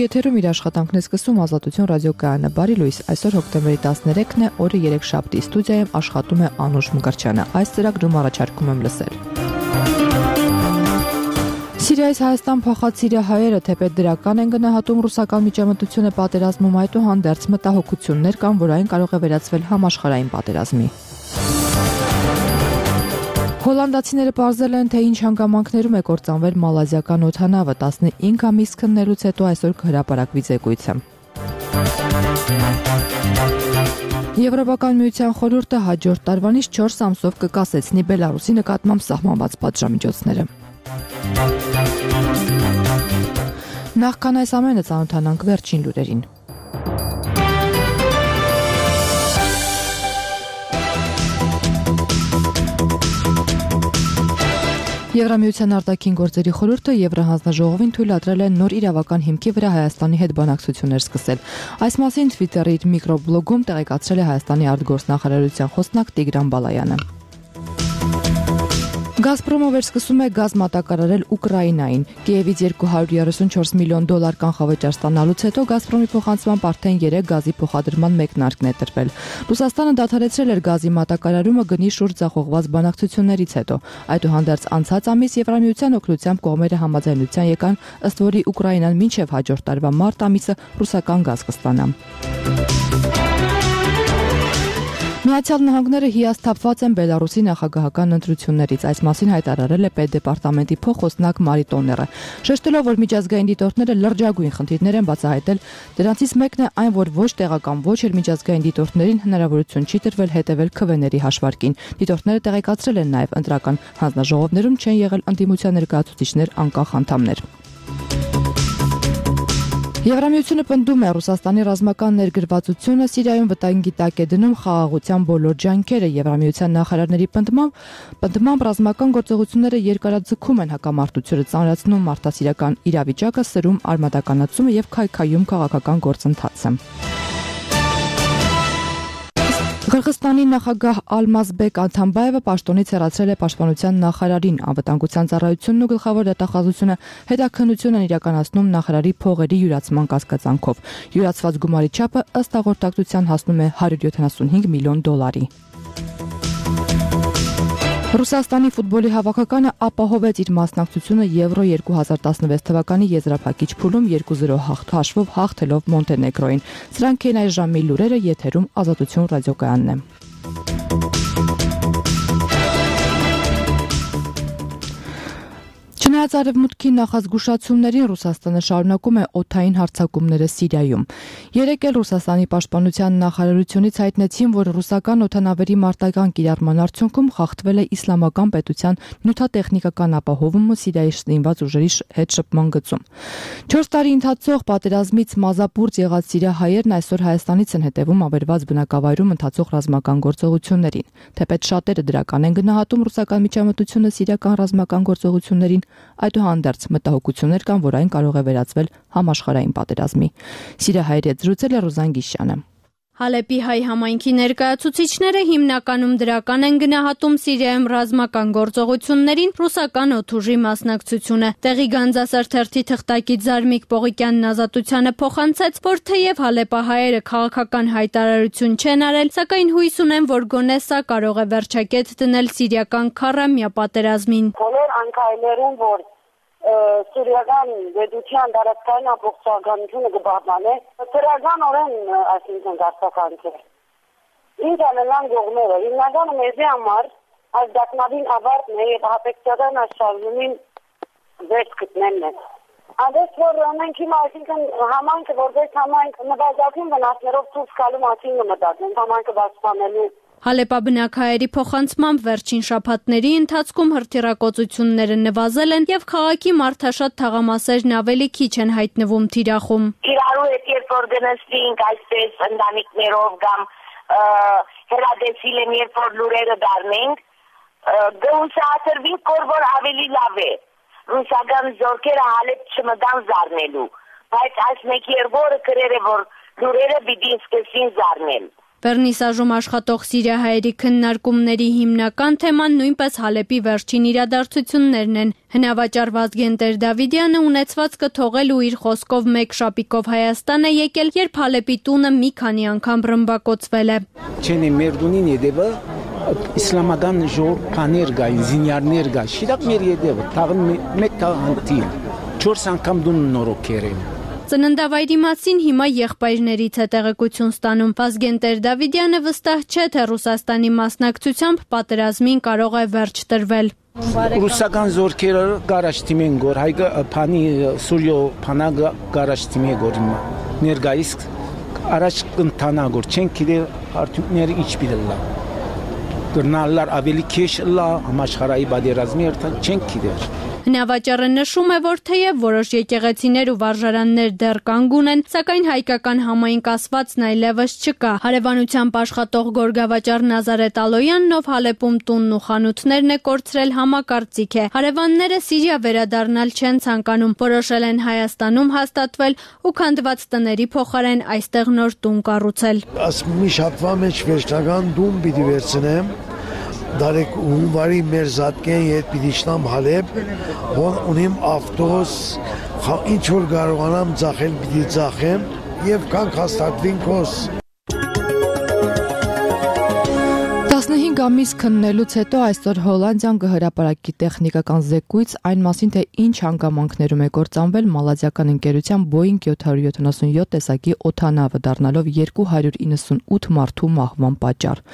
Եթերում իր աշխատանքն է սկսում Ազատություն ռադիոկայանը։ Բարի լույս, այսօր հոկտեմբերի 13-ն է, օրը 3 շաբթի, ստուդիայում աշխատում է Անուշ Մկրտչյանը։ Այս ծրագրում առաջարկում եմ լսել։ Սիրիայից Հայաստան փախած սիրիահայերը թեպետ դրական են գնահատում ռուսական միջամտությունը պատերազմում, այդուհանդերձ մտահոգություններ կան, որ այն կարող է վերածվել համաշխարհային պատերազմի։ Հոլանդացիները պարզել են, թե ինչ հանգամանքներում է կործանվել մալազիական օդանավը, 15 ամիս քննելուց հետո այսօր կհրապարակվի զեկույցը։ Եվրոպական միության խորհուրդը հաջորդ տարվանից 4 ամսով կկասեցնի Բելարուսի նկատմամբ սահմանված պատժամիջոցները։ Նախքան այս ամենը ծանոթանանք վերջին լուրերին։ Եվրամիության արտաքին գործերի խորհուրդը Եվրահանձնաժողովին թույլատրել է նոր իրավական հիմքի վրա Հայաստանի հետ բանակցություններ սկսել։ Այս մասին Twitter-ի իր միկրոբլոգում տեղեկացրել է Հայաստանի արտգործնախարարության խոսնակ Տիգրան Բալայանը։ Գազպրոմը վերսկսում է գազ մատակարարել Ուկրաինային։ Կիևից $234 միլիոն կանխավճար ստանալուց հետո Գազպրոմի փոխանցման արդեն 3 գազի փոխադրման մեկնարկն է տրվել։ Ռուսաստանը դադարեցրել էր գազի մատակարարումը գնի շուրջ ձախողված բանակցություններից հետո։ Այդուհանդերձ անցած ամիս Եվրամիության օգնությամբ կողմերը համաձայնության եկան, ըստ որի Ուկրաինան մինչև հաջորդ տարվա մարտ ամիսը ռուսական գազ կստանա։ Միացյալ Նահանգները հիասթափված են Բելարուսի նախագահական ընտրություններից, այս մասին հայտարարել է Պետդեպարտամենտի փոխոսնակ Մարի Տոները։ Շեշտելով, որ միջազգային դիտորդները լրջագույն խնդիրներ են բացահայտել, դրանցից մեկն է այն, որ ոչ տեղական, ոչ էլ միջազգային դիտորդներին հնարավորություն չի տրվել հետևել քվեների հաշվարկին։ Դիտորդները տեղեկացրել են նաև ընտրական հանձնաժողովներում չեն եղել ընդդիմության ներկայացուցիչներ անկախ անդամներ։ Եվրամիությունը պնդում է Ռուսաստանի ռազմական ներգրավվածությունը Սիրիայում վտանգի տակ է դնում խաղաղության բոլոր ջանքերը։ Եվրամիության նախարարների պնդմամբ ռազմական գործողությունները երկարաձգում են հակամարտությունը, ծանրացնում մարդասիրական իրավիճակը, սրում արմատականացումը եւ քայքայում քաղաքական գործընթացը։ Ղրղստանի նախագահ Ալմազբեկ Աթամբաևը պաշտոնից հեռացրել է պաշտպանության նախարարին։ Անվտանգության ծառայությունն ու գլխավոր դատախազությունը հետաքննություն են իրականացնում նախարարի փողերի յուրացման կասկածանքով։ Յուրացված գումարի չափը ըստ հաղորդակցության հասնում է $175 միլիոն։ Ռուսաստանի ֆուտբոլի հավաքականը ապահովեց իր մասնակցությունը Եվրո 2016 թվականի եզրափակիչ փուլում 2-0 հաշվով հաղթելով Մոնտենեգրոին։ Սրանք են այս ժամի լուրերը, եթերում Ազատություն ռադիոկայանն է։ Չնայած արևմուտքի նախազգուշացումներին Ռուսաստանը շարունակում է օդային հարձակումները Սիրիայում։ Երեկ էլ Ռուսաստանի պաշտպանության նախարարությունից հայտնեցին, որ ռուսական օդանավերի մարտական կիրառման արդյունքում խախտվել է իսլամական պետության նյութատեխնիկական ապահովումը Սիրիայի զինված ուժերի հետ շփման գծում։ 4 տարի ընթացող պատերազմից մազապուրծ եղած սիրիահայերն այսօր Հայաստանից են հետևում ավերված բնակավայրում ընթացող ռազմական գործողություններին։ Թեպետ շատերը դրական են գնահատում ռուսական միջամտությունը սիրիական ռազմական գործողություններին, այդուհանդերձ մտահոգություններ կան, որ այն կարող է վերածվել համաշխարհային պատերազմի։ Սիրիահայերի հետ զրուցել է Ռուզան Գիշյանը։ Հալեպի հայ համայնքի ներկայացուցիչները հիմնականում դրական են գնահատում Սիրիայում ռազմական գործողություններին ռուսական օդուժի մասնակցությունը։ Տեղի Գանձասար թերթի թղթակից Զարմիկ Պողիկյանն Ազատությանը փոխանցեց, որ թեև հալեպահայերը քաղաքական հայտարարություն չեն արել, սակայն հույս ունեն, որ գոնե սա կարող է վերջակետ դնել սիրիական քառամյա պատերազմին։ Բոլոր անկայներում, որ Սիրիական գիտության դարաշրջան ամբողջականությունը կբաղանե, ծրագանորեն այսինքն դարձականքեր։ Ինչ անելան գողները, հիմնականը մեզի համար այս դակնավին ավարտն է և հապեկցական աշխարհումին վերջ գտնելն է։ Անդես որ մենք հիմա այսինքն համայնքը որպես համայնք նվազագույն վնասներով ցույց գալու մասին մտածում, համայնքը պաշտպանելու։ Հալեպաբնակահայերի փոխանցմամբ վերջին շաբաթների ընթացքում հրթիռակոծությունները նվազել են եւ քաղաքի մարդաշատ թաղամասերն ավելի քիչ են հայտնվում թիրախում։ Իրարու հետ երբ որ գնացինք այսպես ընտանիքներով կամ հերադեսիլ են երբ որ լուրերը դառնենք, գուսացրվինք որ ավելի լավ է։ Ռուսական զորքերը Հալեբ չմտան զարնելու, բայց այս մեկ երկու օրը գրել է որ լուրերը պիտի սկսեն զարնել։ Վերնիսաժում աշխատող սիրիահայերի քննարկումների հիմնական թեման նույնպես Հալեպի վերջին իրադարձություններն են։ Հնավաճառ Վազգեն Տեր-Դավիդյանը ունեցվածքը թողել ու իր խոսքով մեկ շապիկով Հայաստան է եկել, երբ Հալեպի տունը մի քանի անգամ ռմբակոծվել է։ Չենի մերդունին եդևը իսլամական ժողովրդներ գային, զինյարներ գա, շիրակ մեր եդևը, թաղն մեկ անտիլ, 4 անգամ դուն նորոքեր են։ Ծննդավայրի մասին հիմա եղբայրներից է տեղեկություն ստանում։ Վազգեն Տեր-Դավիդյանը վստահ չէ, թե Ռուսաստանի մասնակցությամբ պատերազմին կարող է վերջ տրվել։ Ռուսական զորքերը գարաշտիմ են գոր, հայգը փանի Սուրիո փանագը գարաշտիմ է գոր ներգայիս առաջ կընթանա գոր, չեն գիտե արդյունքները ինչ պիտի գրնալար ավելի քեշ լա համաշխարհային պատերազմի երթան չեն գիտեր։ Հնավաճառը նշում է, որ թեև որոշ եկեղեցիներ ու վարժարաններ դեռ կանգուն են, սակայն հայկական համային կասվածն այլևս չկա։ Հարևանությամբ աշխատող գորգավաճառ Նազարեթ Ալոյանն, ով Հալեպում տունն ու խանութներն է կորցրել, համակարծիք է։ Հարևանները Սիրիա վերադառնալ չեն ցանկանում, որոշել են Հայաստանում հաստատվել ու քանդված տների փոխարեն այստեղ նոր տուն կառուցել։ Մի շաբթվա մեջ վերջնական տուն պիտի վերցնեմ։ Դարեք հունվարի մեր զատկեն ետ պիտի շնամ Հալեպ, որ ունիմ ավտոս, ինչ որ կարողանամ ձախել պիտի ձախեմ և կանք հաստատվին կոս։ 15 ամիս քննելուց հետո այսօր Հոլանդիան կհրապարակի տեխնիկական զեկույց այն մասին, թե ինչ հանգամանքներում է կործանվել մալազիական ընկերության Boeing 777 տեսակի օդանավը, դառնալով 298 մարդու մահվան պատճառ։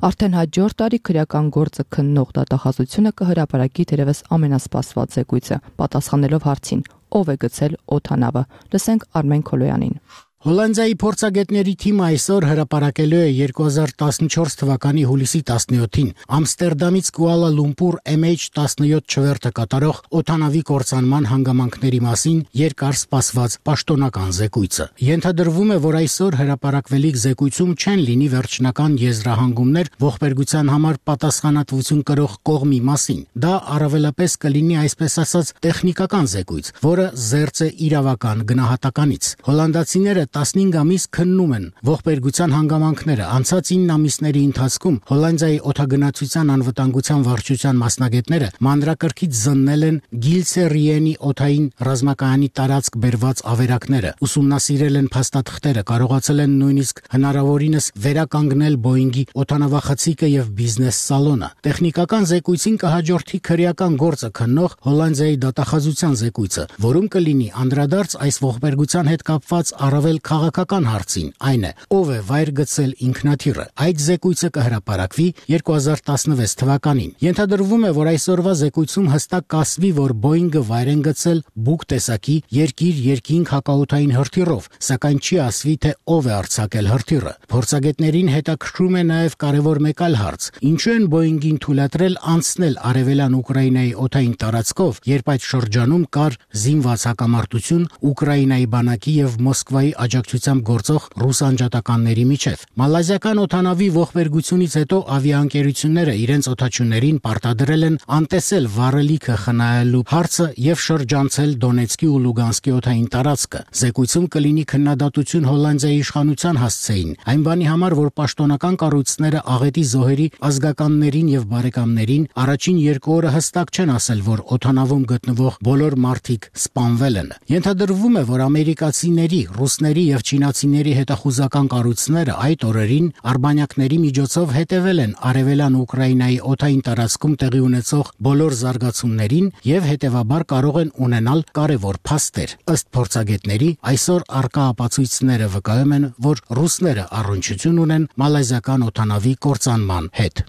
Արդեն հաջորդ տարի քրեական գործը քննող դատախազությունը կհրապարակի թերևս ամենասպասված զեկույցը, պատասխանելով հարցին՝ ով է գցել օդանավը։ Լսենք Արմեն Քոլոյանին։ Հոլանդիայի փորձագետների թիմը այսօր հրապարակելու է 2014 թվականի հուլիսի 17-ին Ամստերդամից Կուալա Լումպուր MH17 չվերթը կատարող օդանավի կործանման հանգամանքների մասին երկար սպասված պաշտոնական զեկույցը։ Ենթադրվում է, որ այսօր հրապարակվելիք զեկույցում չեն լինի վերջնական եզրահանգումներ ողբերգության համար պատասխանատվություն կրող կողմի մասին։ Դա առավելապես կլինի այսպես ասած տեխնիկական զեկույց, որը զերծ է իրավական գնահատականից։ Հոլանդացիները 15 ամիս քննում են ողբերգության հանգամանքները։ Անցած 9 ամիսների ընթացքում Հոլանդիայի օդագնացության անվտանգության վարչության մասնագետները մանրակրկիտ զննել են Գիլսերիենի օդային ռազմակայանի տարածք բերված ավերակները, ուսումնասիրել են փաստաթղթերը, կարողացել են նույնիսկ հնարավորինս վերականգնել Boeing-ի օդանավախցիկը եւ բիզնես սալոնը։ Տեխնիկական զեկույցին կհաջորդի քրեական գործը քննող Հոլանդիայի դատախազության զեկույցը, որում կլինի անդրադարձ այս ողբերգության հետ կապված առավել քաղաքական հարցին, այն է, ով է վայր գցել ինքնաթիռը։ Այդ զեկույցը կհրապարակվի 2016 թվականին։ Ենթադրվում է, որ այսօրվա զեկույցում հստակ կասվի, որ Boeing-ը վայր են գցել Buk տեսակի երկիր-երկինք հակաօդային հրթիռով, սակայն չի ասվի, թե ով է արձակել հրթիռը։ Փորձագետներին հետաքրքրում է նաև կարևոր մեկ այլ հարց. ինչու են Boeing-ին թույլատրել անցնել արևելյան Ուկրաինայի օդային տարածքով, երբ այդ շրջանում կար զինված հակամարտություն Ուկրաինայի բանակի եւ Մոսկվայի աջակցությամբ գործող ռուս անջատականների միջև։ Մալազիական օդանավի ողբերգությունից հետո ավիաընկերությունները իրենց օդաչուներին պարտադրել են անտեսել վառելիքը խնայելու հարցը եւ շրջանցել Դոնեցկի ու Լուգանսկի օդային տարածքը։ Զեկույցում կլինի քննադատություն Հոլանդիայի իշխանության հասցեին, այն բանի համար, որ պաշտոնական կառույցները աղետի զոհերի ազգականներին եւ բարեկամներին առաջին 2 օրը հստակ չեն ասել, որ օդանավում գտնվող բոլոր մարդիկ սպանվել են։ Ենթադրվում է, որ ամերիկացիների, ռուսների եւ չինացիների հետախուզական կառույցները այդ օրերին արբանյակների միջոցով հետևել են արևելյան Ուկրաինայի օդային տարածքում տեղի ունեցող բոլոր զարգացումներին եւ հետեւաբար կարող են ունենալ կարևոր փաստեր։ Ըստ փորձագետների, այսօր արկա ապացույցները վկայում են, որ ռուսները առնչություն ունեն մալազիական օդանավի կործանման հետ։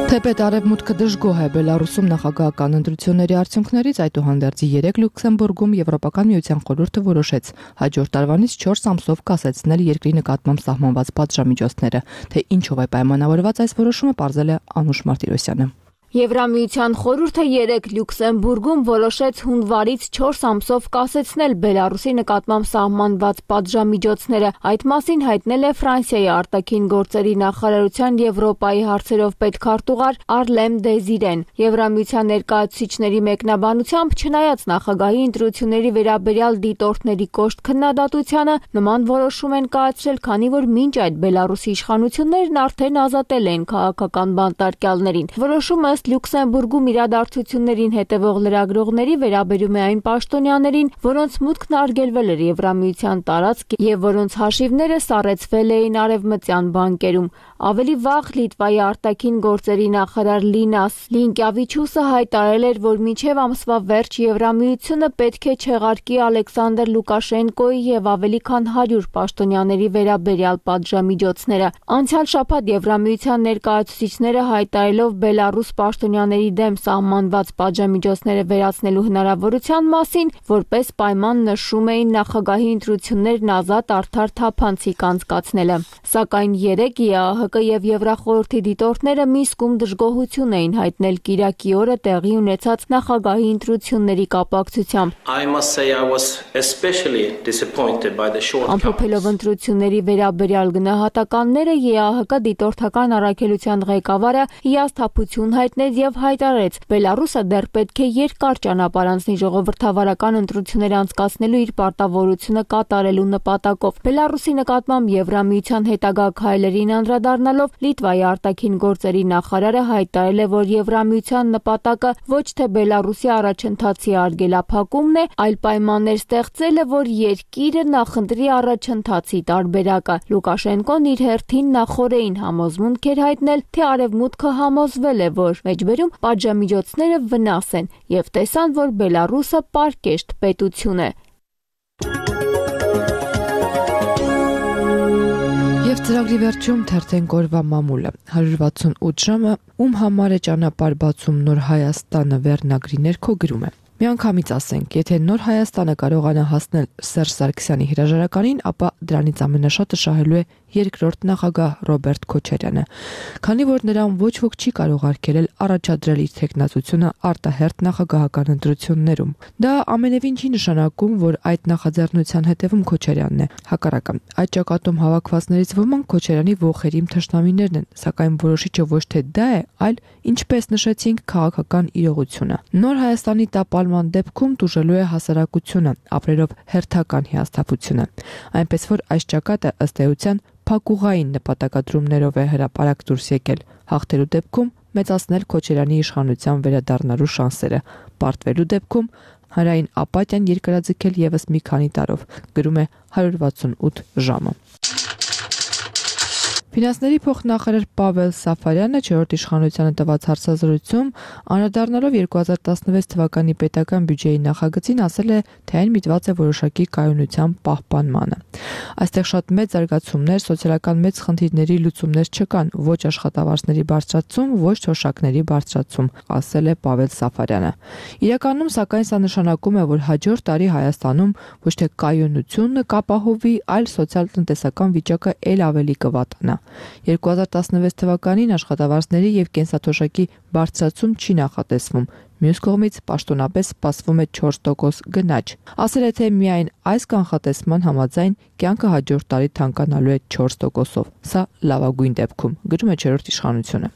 Թեպետ արևմուտքը դժգոհ է Բելարուսում նախագահական ընտրությունների արդյունքներից, այդուհանդերձ 3 Լյուքսեմբուրգում Եվրոպական միության խորհուրդը որոշեց հաջորդ տարվանից 4 ամսով կասեցնել երկրի նկատմամբ սահմանված պատժամիջոցները, թե ինչով է պայմանավորված այս որոշումը, պարզել է Անուշ Մարտիրոսյանը։ Եվրամիության խորհուրդը 3 Լյուքսեմբուրգում որոշեց հունվարից 4 ամսով կասեցնել Բելարուսի նկատմամբ սահմանված պատժամիջոցները։ Այդ մասին հայտնել է Ֆրանսիայի արտաքին գործերի նախարարության Եվրոպայի հարցերով պետքարտուղար Արլեմ Դեզիրեն։ Եվրամիության ներկայացուցիչների մեկնաբանությամբ, չնայած նախագահի ընտրությունների վերաբերյալ դիտորդների կոշտ քննադատությանը, նման որոշում են կայացրել, քանի որ մինչ այդ Բելարուսի իշխանություններն արդեն ազատել են քաղաքական բանտարկյալներին։ Որոշումը Լյուքսեմբուրգում իրադարձություններին հետևող լրագրողների վերաբերում է այն պաշտոնյաներին, որոնց մուտքն արգելվել էր Եվրամիության տարածք եւ որոնց հաշիվները սառեցվել էին արևմտյան բանկերում։ Ավելի վաղ Լիտվայի արտաքին գործերի նախարար Լինաս Լինկյավիչուսը հայտարարել էր, որ մինչև ամսվա վերջ Եվրամիությունը պետք է չեղարկի Ալեքսանդր Լուկաշենկոյի եւ ավելի քան 100 պաշտոնյաների վերաբերյալ պատժամիջոցները։ Անցյալ շաբաթ Եվրամիության ներկայացուցիչները հայտարարելով Բելարուս պաշտոնյաների դեմ սահմանված պատժամիջոցները վերացնելու հնարավորության մասին, որպես պայման նշում էին նախագահի ընտրություններն ազատ, արդար, թափանցիկ անցկացնելը։ Սակայն 3 ԵԱՀԿ եւ Եվրախորհրդի դիտորդները Մինսկում դժգոհություն էին հայտնել Կիրակի օրը տեղի ունեցած նախագահի ընտրությունների կապակցությամբ։ Ամփոփելով ընտրությունների վերաբերյալ գնահատականները, ԵԱՀԿ դիտորդական առաքելության ղեկավարը հիասթափություն հայտնեց եւ հայտարարեց, Բելարուսը դեռ պետք է երկար ճանապարհ անցնի ժողովրդավարական ընտրություններ անցկացնելու իր պարտավորությունը կատարելու նպատակով։ Բելարուսի նկատմամբ Եվրամիության հետագա քայլերին անդրադառնալով Լիտվայի արտաքին գործերի նախարարը հայտարարել է, որ Եվրամիության նպատակը ոչ թե Բելարուսի առաջընթացի արգելափակումն է, այլ պայմաններ ստեղծելը, որ երկիրը նախընտրի առաջընթացի տարբերակը։ Լուկաշենկոն իր հերթին նախորդին համոզմունք էր հայտնել, թե արևմուտքը համոզվել է, որ մեջբերում պատժամիջոցները վնաս են եւ տեսան, որ Բելարուսը պարկեշտ պետություն է։ Եվ ծրագրի վերջում թերթենք օրվա մամուլը 168 ժամը ում համար է ճանապարհ բացում Նոր Հայաստանը վերնագրի ներքո գրում է. Միանգամից ասենք, եթե Նոր Հայաստանը կարողանա հասնել Սերժ Սարգսյանի հրաժարականին, ապա դրանից ամենաշատը շահելու է երկրորդ նախագահ Ռոբերտ Քոչարյանը, քանի որ նրան ոչ ոք չի կարող արգելել առաջադրել իր թեկնածությունը արտահերթ նախագահական ընտրություններում։ Դա ամենևին չի նշանակում, որ այդ նախաձեռնության հետևում Քոչարյանն է։ Հակառակը, այդ ճակատում հավաքվածներից ոմանք Քոչարյանի ոխերիմ թշնամիներն են, սակայն որոշիչը ոչ թե դա է, այլ ինչպես նշեցինք, քաղաքական իրողությունը։ Նոր Հայաստանի տապալման դեպքում տուժելու է հասարակությունը, ապրելով հերթական հիասթափությունը, այնպես որ այս ճակատը ըստ էության փակուղային նպատակադրումներով է հրապարակ դուրս եկել, հաղթելու դեպքում մեծացնել Քոչարյանի իշխանության վերադառնալու շանսերը, պարտվելու դեպքում հանրային ապաթիան երկարաձգել եւս մի քանի տարով, գրում է 168 ժամը։ Ֆինանսների փոխնախարար Պավել Սաֆարյանը 4-րդ իշխանությանը տված հարցազրույցում անդրադառնալով 2016 թվականի պետական բյուջեի նախագծին ասել է, թե այն միտված է որոշակի կայունության պահպանմանը։ Այստեղ շատ մեծ զարգացումներ, սոցիալական մեծ խնդիրների լուծումներ չկան, ոչ աշխատավարձների բարձրացում, ոչ թոշակների բարձրացում, ասել է Պավել Սաֆարյանը։ Իրականում, սակայն, սա նշանակում է, որ հաջորդ տարի Հայաստանում ոչ թե կայունությունը կապահովի, այլ սոցիալ-տնտեսական վիճակը ել ավելի կվատանա։ 2016 թվականին աշխատավարձների եւ կենսաթոշակի բարձրացում չի նախատեսվում։ Մյուս կողմից պաշտոնապես սպասվում է 4% գնաճ։ Ասել է, թե միայն այս կանխատեսման համաձայն կյանքը հաջորդ տարի թանկանալու է 4%-ով։ Սա լավագույն դեպքում, գրում է 4-րդ իշխանությունը։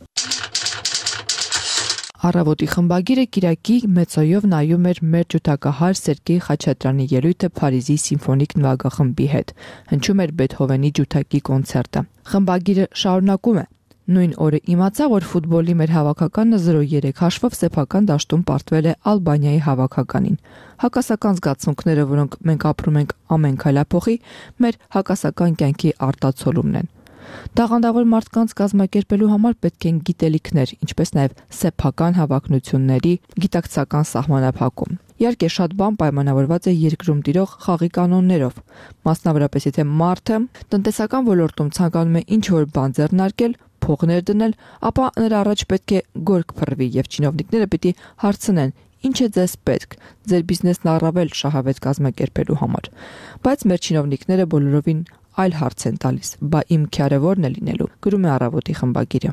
Առավոտի խմբագիրը Կիրակի մեծոյով նայում էր մեր ջութակահար Սերգեյ Խաչատրյանի ելույթը Փարիզի սիմֆոնիկ նվագախմբի հետ։ Հնչում էր Բեթհովենի ջութակի կոնցերտը։ Խմբագիրը շարունակում է. Նույն օրը իմացա, որ ֆուտբոլի մեր հավաքականը 0-3 հաշվով սեփական դաշտում պարտվել է Ալբանիայի հավաքականին։ Հակասական զգացմունքները, որոնք մենք ապրում ենք ամեն քայլափոխի, մեր հակասական կյանքի արտացոլումն են։ Տաղանդավոր մարդկանց կազմակերպելու համար պետք են գիտելիքներ, ինչպես նաև սեփական հավակնությունների գիտակցական սահմանափակում։ Իհարկե, շատ բան պայմանավորված է երկրում տիրող խաղի կանոններով, մասնավորապես եթե մարդը տնտեսական ոլորտում ցանկանում է ինչ-որ բան ձեռնարկել, փողներ դնել, ապա նրա առաջ պետք է գորգ փռվի եւ չինովնիկները պիտի հարցնեն. Ինչ է ձեզ պետք, ձեր բիզնեսն առավել շահավետ կազմակերպելու համար։ Բայց մեր չինովնիկները բոլորովին այլ հարց են տալիս. Բա իմ քյարը ո՞րն է լինելու, գրում է Առավոտի խմբագիրը։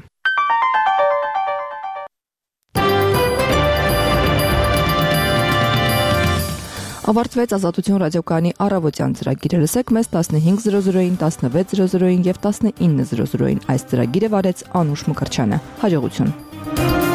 Ավարտվեց Ազատություն ռադիոկայանի առավոտյան ծրագիրը։ Լսեք մեզ 15:00-ին, 16:00-ին եւ 19:00-ին։ Այս ծրագիրը վարեց Անուշ Մկրտչյանը։ Հաջողություն։